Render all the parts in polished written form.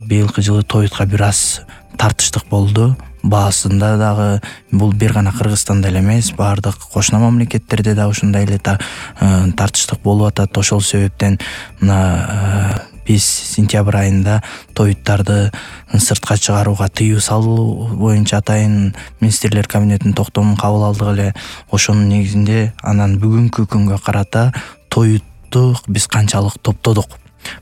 быйылкы жылы тоютка бир аз тартыштык болду. Баасында дагы бул бир гана Кыргызстанда эле эмес, баардык кошуна мамлекеттерде да ушундай эле тартыштык болуп атат. Ошол себептен мына биз сентябрь айында тоюттарды сыртка чыгарууга тыюу салуу боюнча атайын министрлер кабинетинин токтомун кабыл алдык эле. Ошонун негизинде анан бүгүнкү күнгө карата тоютту биз канчалык топтодук,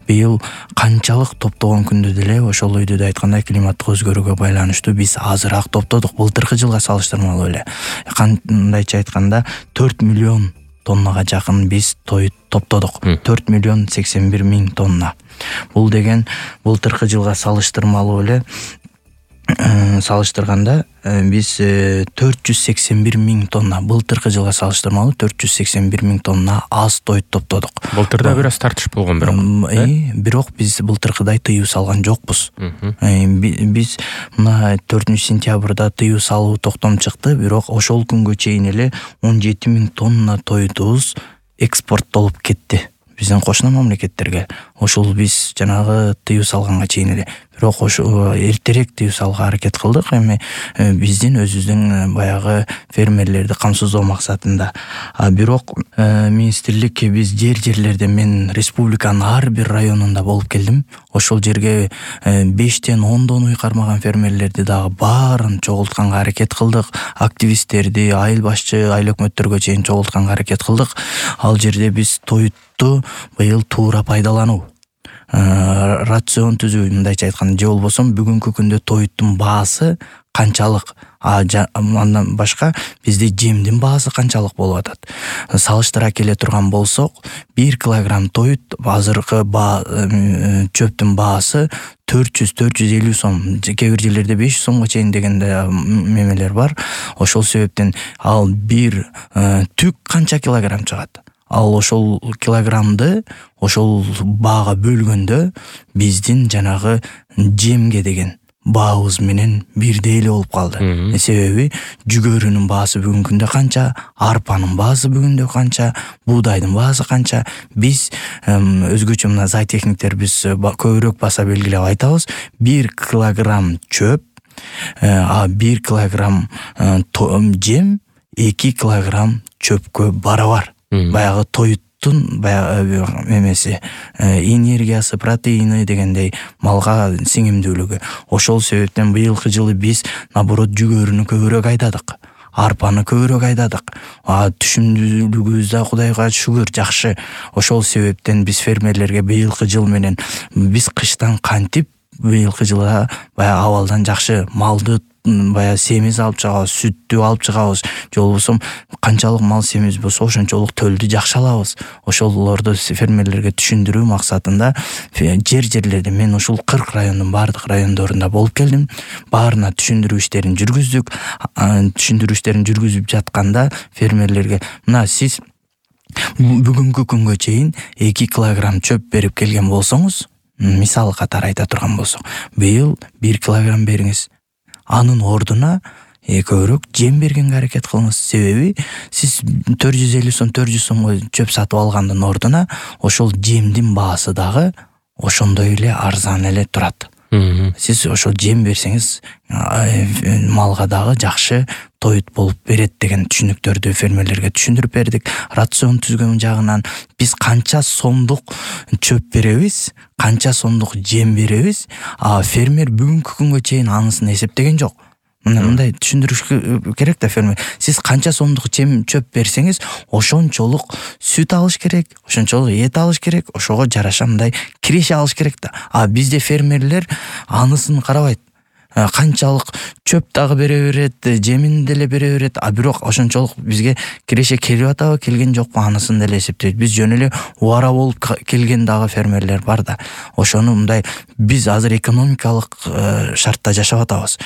быйыл канчалык топтогон күндө деле ошол үйдүдө айткандай климаттык өзгөрүүгө байланыштуу биз азыраак топтодук. Былтыркы жылга салыштырмалуу эле кандайча айтканда 4 миллион тоннага жакын биз тоют топтодук. 4 миллион 81 миң тонна. Бул деген былтыркы жылга салыштырмалуу эле салыштырганда биз 481 миң тонна, былтыркы жылга салыштырмалуу 481 миң тонна аз тоют топтодук. Былтырда бир аз тартыш болгон бирок биз былтыркыдай тыюу салган жокпуз. Биз мына 4-сентябрда тыюу салуу токтом чыкты, бирок ошол күнгө чейин эле 17 миң тонна тоютубуз экспорттолуп кетти биздин кошуна мамлекеттерге. Ошол биз жанагы тыюу салганга чейин эле. Бирок ошо эртерээк тыюу салууга аракет кылдык. Эми биздин өзүбүздүн баягы фермерлерди камсыздоо максатында. Бирок министрлик биз жерлерде мен республиканын ар бир районунда болуп келдим. Ошол жерге 5-тен 10дон уй кармаган фермерлерди дагы баарын чогултканга аракет кылдык. Активисттерди, айыл башчы, айыл өкмөттөргө чейин чогултканга аракет кылдык. Ал жерде биз тоютту быйыл туура пайдалануу, рацион түзүү, мындайча айтканда, же болбосо бүгүнкү күндө тоюттун баасы канчалык, андан башка бизде жемдин баасы канчалык болуп атат. Салыштыра келе турган болсок, 1 килограмм тоют азыркы чөптүн баасы 400-450 сом, кээ бир жерлерде 500 сомго чейин деген мемелер бар. Ошол себептен ал бир түк канча килограмм чыгат. Ал ошол килограммды ошол баага бөлгөндө биздин жанагы жемге деген баабыз менен бирдей эле болуп калды. Себеби жүгөрүнүн баасы бүгүнкү күндө канча, арпанын баасы бүгүндө канча, буудайдын баасы канча. Биз өзгөчө мына зоотехниктер биз көбүрөөк баса белгилеп айтабыз. 1 килограмм чөп, 1 килограмм жем 2 килограмм чөпкө барабар. Баягы тоюттун баягы эмеси, энергиясы, протеини дегендей малга сиңимдүүлүгү. Ошол себептен быйылкы жылы биз наоборот жүгөрүнү көбүрөөк айдадык, арпаны көбүрөөк айдадык. Түшүмдүүлүгүбүз да Кудайга шүгүр жакшы. Ошол себептен биз фермерлерге быйылкы жыл менен биз кыштан кантип быйылкы жылда баягы абалдан жакшы малды баягы семиз алып чыгабыз, сүттү алып чыгабыз, же болбосо канчалык мал семиз болсо ошончолук төлдү жакшы алабыз. Ошолорду фермерлерге түшүндүрүү максатында жерлерде мен ушул 40 райондун бардык райондорунда болуп келдим. Баарына түшүндүрүү иштерин жүргүздүк. Түшүндүрүү иштерин жүргүзүп жатканда фермерлерге мына сиз бүгүнкү күнгө чейин 2 килограмм чөп берип келген болсоңуз, мисал катары айта турган болсок, быйыл 1 килограмм бериңиз. Анын ордуна көбүрөөк жем бергенге аракет кылыңыз. Себеби сиз 450 сом, 400 сомго чөп сатып алгандын ордуна ошол жемдин баасы дагы ошондой эле арзан эле турат. Сиз ошол жем берсеңиз малга дагы жакшы тоют болуп берет деген түшүнүктөрдү фермерлерге түшүндүрүп бердик. Рацион түзгөн жагынан биз канча сомдук чөп беребиз, канча сомдук жем беребиз, фермер бүгүнкү күнгө чейин анысын эсептеген жок. Мындай түшүндүрүш керек да фермер. Сиз канча сомдук чөп берсеңиз, ошончолук сүт алыш керек, ошончолук эт алыш керек, ошого жараша мындай киреше алыш керек да. Бизде фермерлер анысын карабайт. Канчалык чөп дагы бере берет, жемин деле бере берет, бирок ошончолук бизге киреше келип атабы, келген жокпу анысын деле эсептейт. Биз жөн эле убара болуп келген дагы фермерлер бар да. Ошону мындай биз азыр экономикалык шартта жашап атабыз.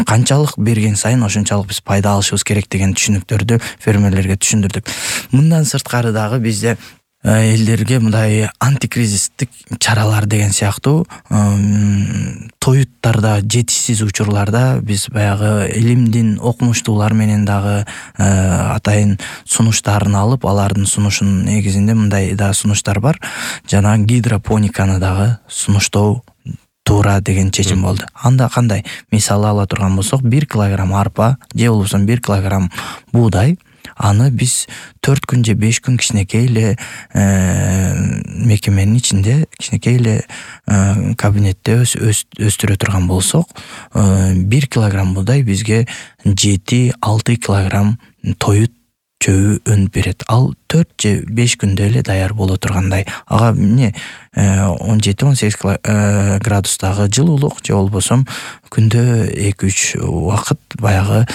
Канчалык берген сайын ошончалык биз пайда алышыбыз керек деген түшүнүктөрдү фермерлерге түшүндүрдүк. Мындан сырткары дагы бизде элдерге мындай антикризистик чаралар деген сыяктуу тоюттарда жетишсиз учурларда биз баягы илимдин окумуштуулар менен дагы атайын сунуштарын алып, алардын сунушунун негизинде мындай да сунуштар бар. Жана гидропониканы дагы сунуштоо туура деген чечим болду. Анда кандай? Мисалы ала турган болсок, 1 килограмм арпа же болбосо 1 килограмм буудай, аны биз 4 күн же 5 күн кичинекей эле мекеменин ичинде, кичинекей эле кабинетте өстүрө турган болсок, 1 килограмм буудай бизге 7-6 килограмм тоют чөбү өнүп берет. Ал 4 же 5 күндө эле даяр боло тургандай. Ага эмне 17-18 градустагы жылуулук же болбосо күндө 2-3 убакыт баягы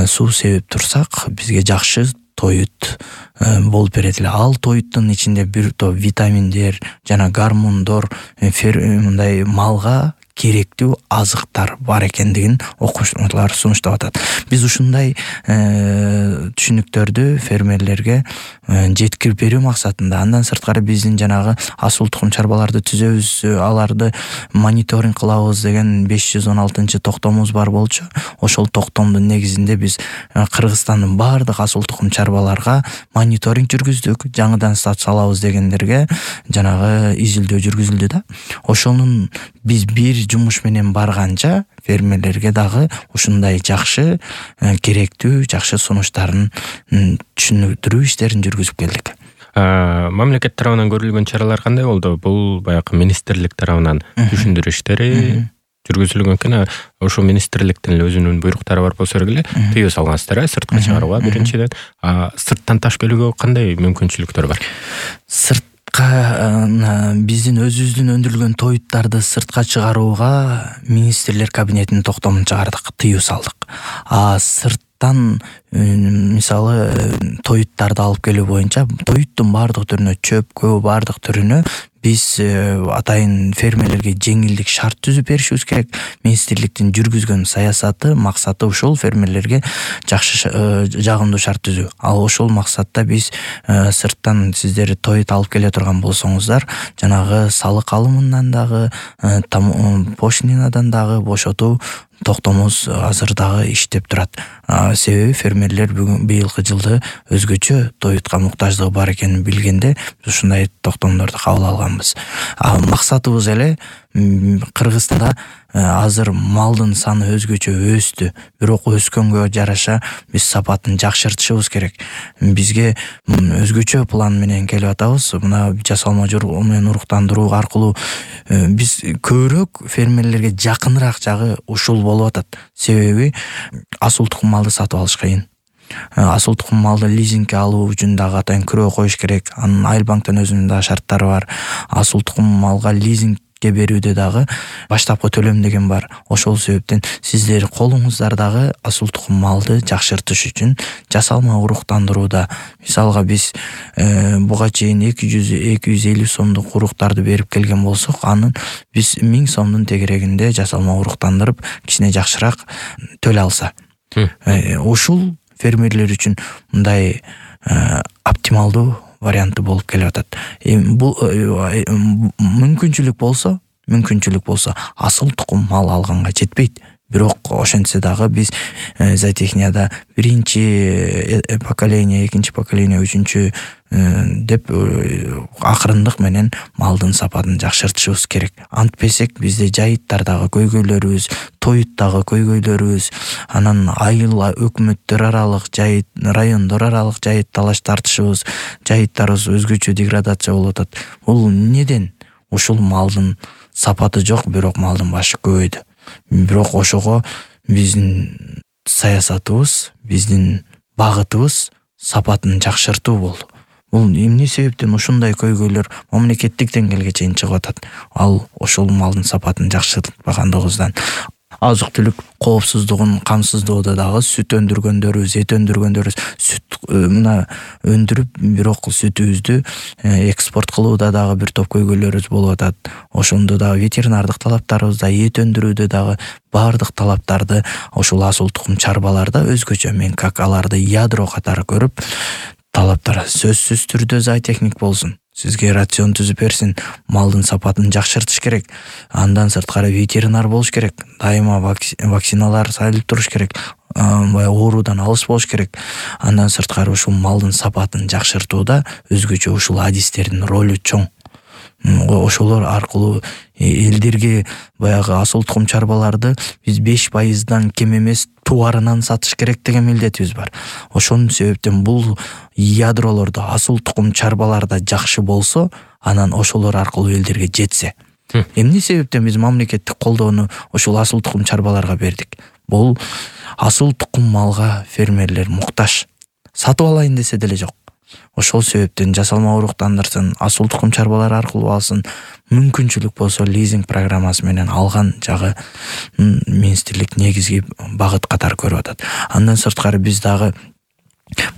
суу себип турсак, бизге жакшы тоют болуп берет эле. Ал тоюттун ичинде бир топ витаминдер жана гормондор мындай малга керектүү азыктар бар экендигин окумуштуулар сунуштап атат. Биз ушундай түшүнүктөрдү фермерлерге жеткирип берүү максатында, андан сырткары биздин жанагы асыл тукум чарбаларды түзөбүз, аларды мониторинг кылабыз деген 516 токтомубуз бар болчу. Ошол токтомдун негизинде биз Кыргызстандын баардык асыл тукум чарбаларга мониторинг жүргүздүк. Жаңыдан салабыз дегендерге жанагы изилдөө жүргүзүлдү да. Ошонун биз бир жумуш менен барганча фермерлерге дагы ушундай жакшы керектүү жакшы сунуштарын түшүндүрүү иштерин жүргүзүп келдик. Мамлекет тарабынан көрүлгөн чаралар кандай болду? Бул баягы министрлик тарабынан түшүндүрүү иштери жүргүзүлгөн экен. Ошо министрликтин эле өзүнүн буйруктары бар болсо эле тыюу салгансыздар, сыртка чыгарууга биринчиден. Сырттан таш келүүгө кандай мүмкүнчүлүктөр бар? Биздин өзүбүздүн өндүрүлгөн тоюттарды сыртка чыгарууга министрлер кабинетинин токтомун чыгардык, тыюу салдык. Сырттан мисалы тоюттарды алып келүү боюнча тоюттун баардык түрүнө, чөпкө баардык түрүнө биз атайын фермерлерге жеңилдик шарт түзүп беришибиз керек. Министрликтин жүргүзгөн саясаты, максаты ушул фермерлерге жакшы жагымдуу шарт түзүү. Ал ошол максатта биз сырттан сиздер тоют алып келе турган болсоңуздар, жанагы салык алымынан дагы, пошлинадан дагы бошотуу токтомубуз азыр дагы иштеп турат. Себеби фермерлер быйылкы жылды өзгөчө тоютка муктаждыгы бар экенин билгенде ушундай токтомдорду кабыл алганбыз. Максатыбыз эле Кыргызстанда азыр малдын саны өзгөчө өстү, бирок өскөнгө жараша биз сапатын жакшыртышыбыз керек. Бизге өзгөчө план менен келип атабыз. Мына жасалма жол менен уруктандыруу аркылуу биз көбүрөөк фермерлерге жакыныраак жагы ушул болуп атат. Себеби асыл тукум малды сатып алыш кыйын. Асыл тукум малды лизингге алуу үчүн дагы атайын күрөө коюш керек. Анын Айылбанктын өзүнүн да шарттары бар. Асыл тукум малга лизингге берүүдө дагы баштапкы төлөм деген бар. Ошол себептен сиздер колуңуздардагы асыл тукум малды жакшыртыш үчүн жасалма уруктандырууда, мисалга биз буга чейин 200-250 сомдук уруктарды берип келген болсок, анын биз 1000 сомдун тегерегинде жасалма уруктандырып кичине жакшыраак төлөй алса. Ушул фермерлер үчүн мындай оптималдуу варианты болуп келип атат. Бул мүмкүнчүлүк болсо асыл тукум мал алганга жетпейт. Бирок ошентсе дагы биз зоотехнияда биринчи поколение, экинчи поколение, үчүнчү деп акырындык менен малдын сапатын жакшыртышыбыз керек. Антпесек бизде жайыттар дагы көйгөйлөрүбүз, тоют дагы көйгөйлөрүбүз, анан айыл өкмөттөр аралык жайыт, райондор аралык жайыт талаш тартышыбыз, жайыттарыбыз өзгөчө деградация болуп атат. Бул неден? Ушул малдын сапаты жок, бирок малдын башы көбөйдү. Бирок ошого биздин саясатыбыз, биздин багытыбыз сапатын жакшыртуу болду. Бул эмне себептен ушундай көйгөйлөр мамлекеттик деңгээлге чейин чыгып атат? Ал ошол малдын сапатын жакшыртпагандыгыбыздан. Азык-түлүк коопсуздугун камсыздоодо дагы сүт өндүргөндөрүбүз, эт өндүргөндөрүбүз сүт мына өндүрүп, бирок сүтүбүздү экспорт кылууда дагы бир топ көйгөйлөрүбүз болуп атат. Ошондо дагы ветеринардык талаптарыбызда, эт өндүрүүдө дагы баардык талаптарды ошол асыл тукум чарбаларда өзгөчө, мен как аларды ядро катары көрүп, талаптар сөзсүз түрдө зоотехник болсун, сизге рацион түзүп берсин, малдын сапатын жакшыртыш керек. Андан сырткары ветеринар болуш керек, дайыма вакциналар салып туруш керек, оорудан алыс болуш керек. Андан сырткары ушул малдын сапатын жакшыртууда өзгөчө ушул адистердин ролу чоң. ошолор аркылуу элдерге баягы асыл тукум чарбаларды биз 5% кем эмес тубарынан сатыш керек деген милдетибиз бар. Ошонун себептен бул ядролордо асыл тукум чарбаларда жакшы болсо, анан ошолор аркылуу элдерге жетсе. Эмне себептен биз мамлекеттик колдоону ошол асыл тукум чарбаларга бердик? Бул асыл тукум малга фермерлер муктаж. Сатып алайын десе деле жок. Ошол себептен жасалма уруктандырсын, асыл тукум чарбалары аркылуу алсын, мүмкүнчүлүк болсо лизинг программасы менен алган жагы министрлик негизги багыт катары көрүп атат. Андан сырткары биз дагы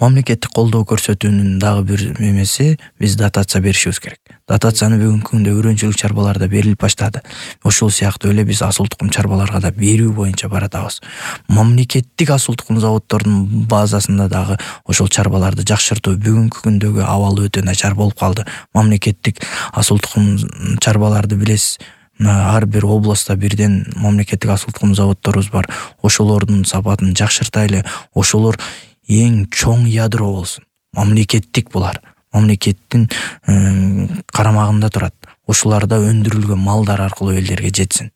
мамлекеттик колдоо көрсөтүүнүн дагы бир эмеси, биз дотация беришибиз керек. Дотацияны бүгүнкү күндө үрөнчүлүк чарбаларда берилип баштады. Ошол сыяктуу эле биз асыл тукум чарбаларга да берүү боюнча баратабыз. Мамлекеттик асыл тукум заводдордун базасында дагы ошол чарбаларды жакшыртуу бүгүнкү күндөгү абалы өтө начар болуп калды. Мамлекеттик асыл тукум чарбаларды билесиз, ар бир областта бирден мамлекеттик асыл тукум заводдорубуз бар. Ошолордун сапатын жакшыртайлы. Ошолор эң чоң ядро болсун. Мамлекеттик булар. Мамлекеттин карамагында турат. Ошоларда өндүрүлгөн малдар аркылуу элдерге жетсин.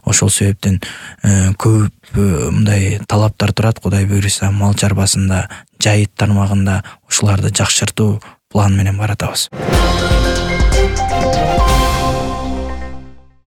Ошол себептен көп мындай талаптар турат. Кудай буйруса, мал чарбасында, жайыт тармагында ошоларды жакшыртуу план менен баратабыз.